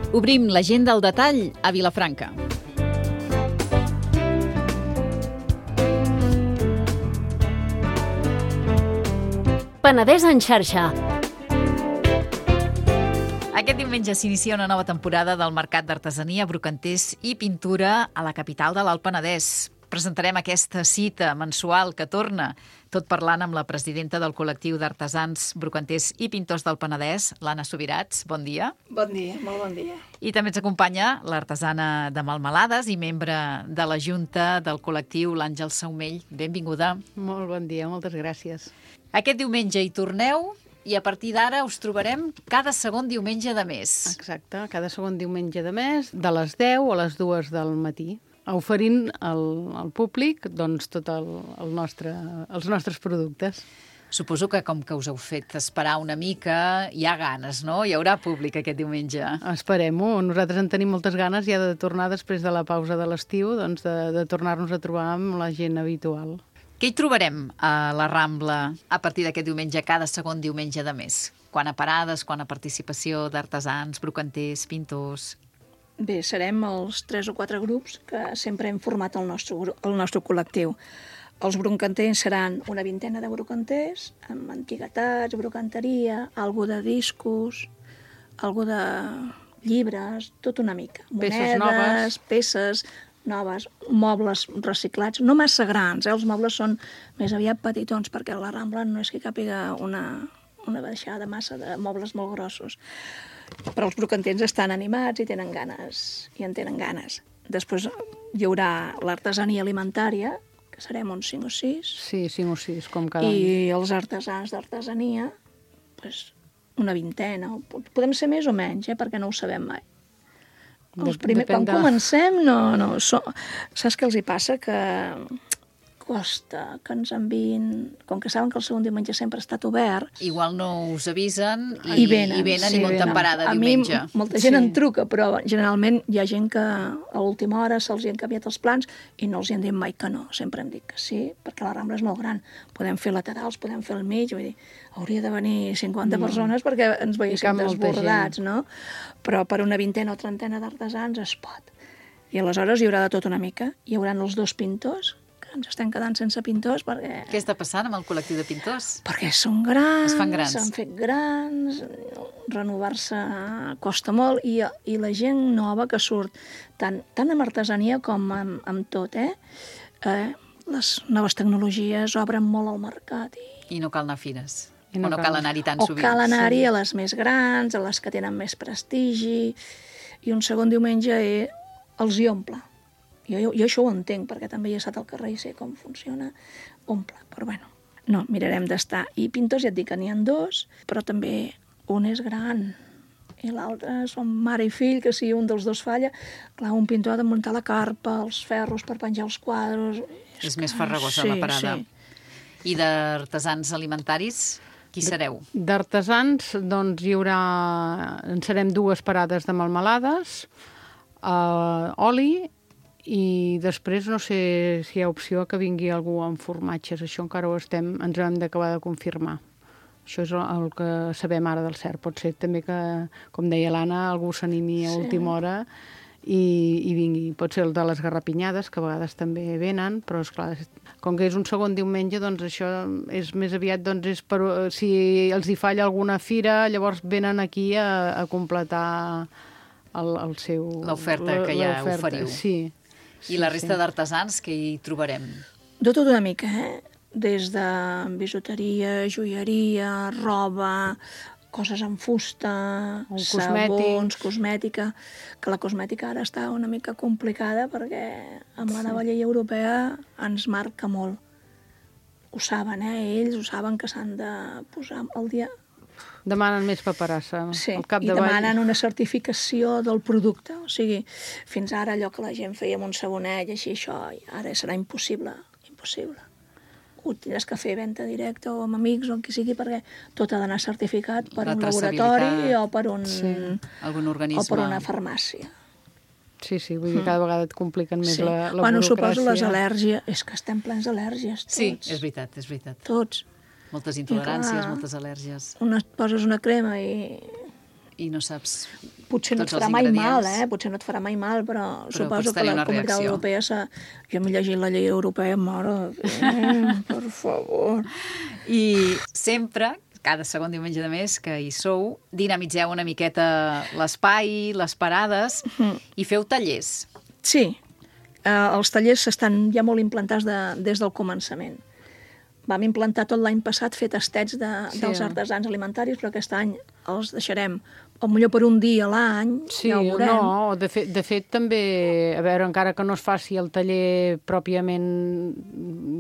Obrim l'agenda al detall a Vilafranca. Penedès en xarxa. Aquest diumenge s'inicia una nova temporada del Mercat d'Artesania, Brocanters i Pintura a la capital de l'Alt Penedès. Presentarem aquesta cita mensual que torna, tot parlant amb la presidenta del col·lectiu d'artesans, brocanters i pintors del Penedès, l'Anna Subirats. Bon dia. Bon dia, molt bon dia. I també ens acompanya l'artesana de Melmelades i membre de la Junta del col·lectiu, l'Àngel Saumell. Benvinguda. Molt bon dia, moltes gràcies. Aquest diumenge hi torneu i a partir d'ara us trobarem cada segon diumenge de mes. Exacte, cada segon diumenge de mes, de les 10 a les 2 del matí, oferint al públic doncs, tot els nostres productes. Suposo que com que us heu fet esperar una mica, hi ha ganes, no? Hi haurà públic aquest diumenge. Esperem-ho. Nosaltres en tenim moltes ganes ja de tornar després de la pausa de l'estiu, doncs de tornar-nos a trobar amb la gent habitual. Què hi trobarem a la Rambla a partir d'aquest diumenge, cada segon diumenge de mes? Quant a parades, quant a participació d'artesans, brocanters, pintors... Bé, serem els 3 o 4 grups que sempre hem format el nostre col·lectiu. Els brocanters seran una vintena de brocanters, amb antiguitats, brocanteria, algo de discos, algo de llibres, tot una mica. Monedes, peces noves, mobles reciclats, no massa grans, els mobles són més aviat petitons, perquè a la Rambla no és que càpiga una baixada massa de mobles molt grossos. Però els brocanters estan animats i tenen ganes, i en tenen ganes. Després hi haurà l'artesania alimentària, que serem uns 5 o 6. Sí, 5 o 6, com cada any. I els artesans d'artesania, doncs, una vintena. Podem ser més o menys, perquè no ho sabem mai. Quan comencem, no. Saps què els hi passa? Que costa que ens enviïn, com que saben que el segon diumenge sempre ha estat obert... Igual no us avisen i venen i munten parada diumenge. A mi molta gent en truca, però generalment hi ha gent que a última hora se'ls hi han canviat els plans i no els hi han dit mai que no. Sempre hem dit que sí, perquè la Rambla és molt gran. Podem fer laterals, podem fer al mig, vull dir, hauria de venir 50 persones perquè ens veiéssim desbordats, no? Però per una vintena o trentena d'artesans es pot. I aleshores hi haurà de tot una mica. Hi haurà els 2 pintors, ens estem quedant sense pintors perquè... Què està passant amb el col·lectiu de pintors? Perquè són grans, es fan grans. s'han fet grans, renovar-se costa molt i la gent nova que surt, tant amb artesania com amb tot, les noves tecnologies obren molt al mercat. I no cal anar a fires, o no cal anar-hi tan sovint. O cal anar-hi a les més grans, a les que tenen més prestigi, i un segon diumenge els hi omple. Jo això ho entenc, perquè també he estat al carrer i sé com funciona, omple, però bueno, no, mirarem d'estar. I pintors ja et dic que n'hi ha 2, però també un és gran i l'altre són mare i fill, que si un dels 2 falla, clar, un pintor ha de muntar la carpa, els ferros per penjar els quadres... És més farragosa la parada. Sí. I d'artesans alimentaris, qui sereu? D'artesans, doncs hi haurà... En serem 2 parades de melmelades, oli, i després no sé si hi ha opció que vingui algú amb formatges. Això encara ens hem d'acabar de confirmar. Això és el que sabem ara del cert. Pot ser també que, com deia l'Anna, algú s'animi a última hora i vingui. Pot ser el de les garrapinyades, que a vegades també venen, però esclar, com que és un segon diumenge, doncs això és més aviat, doncs és per, si els hi falla alguna fira, llavors venen aquí a completar el seu... L'oferta que ja oferiu. Sí. I la resta d'artesans que hi trobarem? De tot una mica, des de bisuteria, joieria, roba, coses en fusta, sabons, cosmètica, que la cosmètica ara està una mica complicada perquè amb la nova llei europea ens marca molt. Ho saben, ells ho saben que s'han de posar al dia... Demanen més paperassa. Sí, i demanen una certificació del producte. O sigui, fins ara allò que la gent feia amb un sabonet i així, això ara serà impossible. Ho tindràs que fer venda directa o amb amics o amb qui sigui, perquè tot ha d'anar certificat per un laboratori o per algun organisme. O per una farmàcia. Sí, vull dir, cada vegada et compliquen més la burocràcia. Suposo les al·lèrgies. És que estem plens d'al·lèrgies, tots. Sí, és veritat. Tots. Moltes intoleràncies, moltes al·lèrgies. Poses una crema i i no saps Potser no et farà mai mal, Potser no et farà mai mal, però suposo que la Comunitat Europea jo m'he llegit la llei europea, mare, per favor. I sempre, cada segon diumenge de mes que hi sou, dinamitzeu una miqueta l'espai, les parades, i feu tallers. Sí, els tallers estan ja molt implantats des del començament. Vam implantar tot l'any passat fer tastets dels artesans alimentaris, però aquest any els deixarem o millor per un dia a l'any, ja ho veurem. No, de fet també, a veure, encara que no es faci el taller pròpiament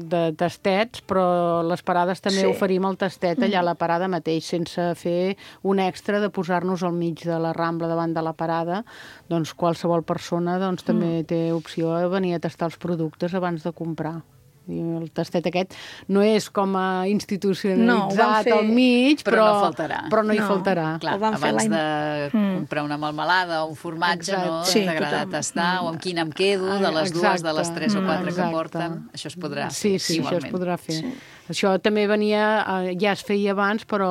de tastets, però les parades també oferim el tastet allà a la parada mateix, sense fer un extra de posar-nos al mig de la Rambla davant de la parada. Doncs qualsevol persona també té opció de venir a tastar els productes abans de comprar. I el tastet aquest no és com a institucionalitzat al mig, però no faltarà. Però no hi faltarà. Clar, abans de comprar una melmelada o un formatge, no? T'agrada tastar, o amb quin em quedo, de les 2, de les 3 o 4 que porten. Això es podrà fer. Sí, això es podrà fer. Això també venia, ja es feia abans, però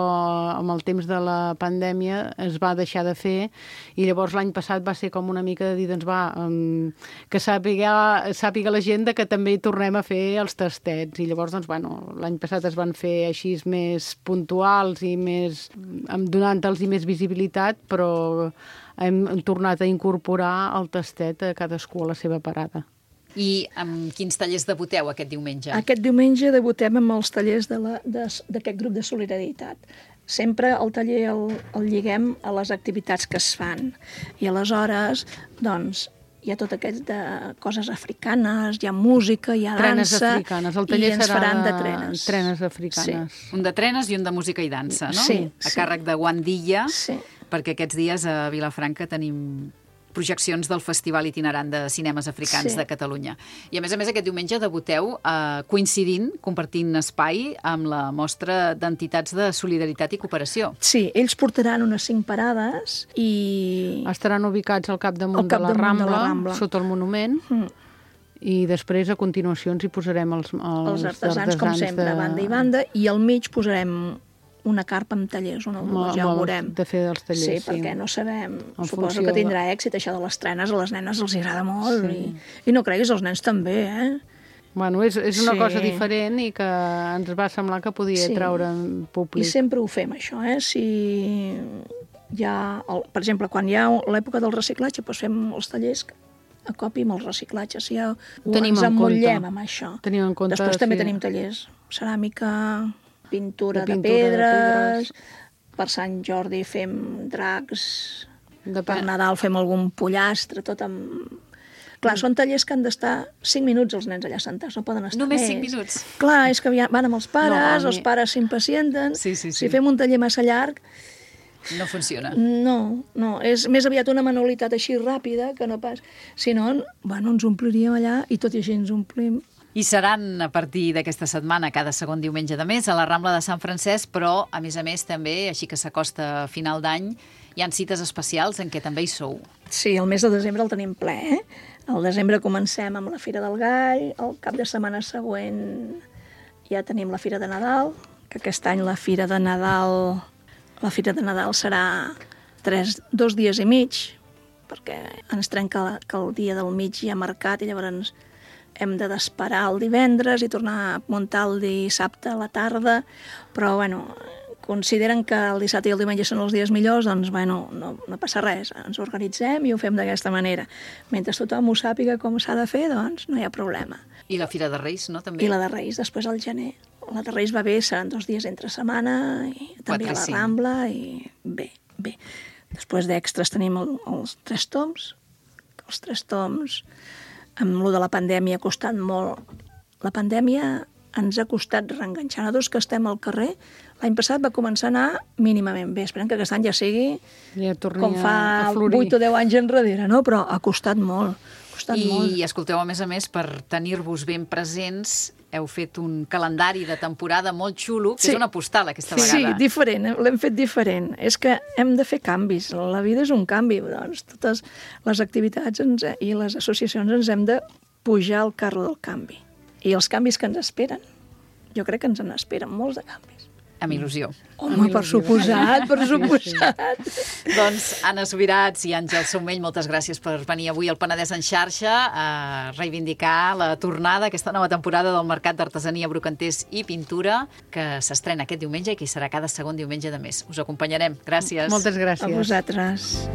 amb el temps de la pandèmia es va deixar de fer, i llavors l'any passat va ser com una mica de dir, doncs va, que sàpiga la gent que també tornem a fer els tastets. I llavors, doncs, bueno, l'any passat es van fer així més puntuals i més, donant-los més visibilitat, però hem tornat a incorporar el tastet a cadascú a la seva parada. I amb quins tallers debuteu aquest diumenge? Aquest diumenge debutem amb els tallers d'aquest grup de solidaritat. Sempre el taller el lliguem a les activitats que es fan. I aleshores, doncs, hi ha tot aquest de coses africanes, hi ha música, hi ha dansa... Trenes africanes. El taller serà de trenes. Trenes africanes. Sí. Un de trenes i un de música i dansa, no? Sí. A càrrec de Guandilla, sí. Perquè aquests dies a Vilafranca tenim projeccions del Festival Itinerant de Cinemes Africans de Catalunya. I a més, aquest diumenge debuteu coincidint, compartint espai amb la mostra d'entitats de solidaritat i cooperació. Sí, ells portaran unes 5 parades i... Estaran ubicats al capdamunt de la Rambla, sota el monument, i després, a continuació, ens hi posarem els artesans, com sempre, banda i banda, i al mig posarem una carpa amb tallers, ja ho veurem. De fer dels tallers, sí. Perquè no sabem, suposo que tindrà èxit, això de les trenes, a les nenes els agrada molt, i no creguis, els nens també, Bueno, és una cosa diferent i que ens va semblar que podia treure en públic. I sempre ho fem, això, Si hi ha, per exemple, quan hi ha l'època del reciclatge, doncs fem els tallers a copi amb els reciclatges, ens emmotllem amb això. Després també tenim tallers, ceràmica, pintura de pedres, per Sant Jordi fem dracs, per Nadal fem algun pollastre, tot amb... Clar, són tallers que han d'estar 5 minuts els nens allà sentats, no poden estar Només 5 minuts? Clar, és que van amb els pares, els pares s'impacienten, si fem un taller massa llarg... No funciona. No, és més aviat una manualitat així ràpida que no pas... Si no, ens ompliríem allà i tot i així ens omplim. I seran a partir d'aquesta setmana, cada segon diumenge de mes, a la Rambla de Sant Francesc, però, a més, també, així que s'acosta a final d'any, hi ha cites especials en què també hi sou. Sí, el mes de desembre el tenim ple, Al desembre comencem amb la Fira del Gall, el cap de setmana següent ja tenim la Fira de Nadal, que aquest any la Fira de Nadal serà 2 dies i mig, perquè ens trenca que el dia del mig hi ha mercat i llavors hem d'esperar el divendres i tornar a muntar el dissabte a la tarda, però, consideren que el dissabte i el diumenge són els dies millors, doncs, no passa res, ens organitzem i ho fem d'aquesta manera. Mentre tothom ho sàpiga com s'ha de fer, doncs no hi ha problema. I la Fira de Reis, no, també? I la de Reis, després al gener. La de Reis va bé, seran 2 dies entre setmana, i també a la Rambla, i bé. Després d'extras tenim els 3 toms. Els 3 toms... Amb lo de la pandèmia ha costat molt. La pandèmia ens ha costat reenganxar. Nosaltres que estem al carrer, l'any passat va començar a anar mínimament bé. Esperem que aquest any ja sigui com fa 8 o 10 anys enrere, no? Però ha costat molt. I escolteu, a més, per tenir-vos ben presents, heu fet un calendari de temporada molt xulo, que és una postal aquesta vegada. Sí, diferent, l'hem fet diferent. És que hem de fer canvis, la vida és un canvi, doncs totes les activitats i les associacions ens hem de pujar al carro del canvi. I els canvis que ens esperen, jo crec que ens en esperen molts de canvis. Amb il·lusió. Home, per suposat, per suposat. Doncs Anna Subirats i Àngel Saumell, moltes gràcies per venir avui al Penedès en xarxa a reivindicar la tornada, aquesta nova temporada del Mercat d'Artesania, Brocanters i Pintura, que s'estrena aquest diumenge i que hi serà cada segon diumenge de mes. Us acompanyarem. Gràcies. Moltes gràcies. A vosaltres.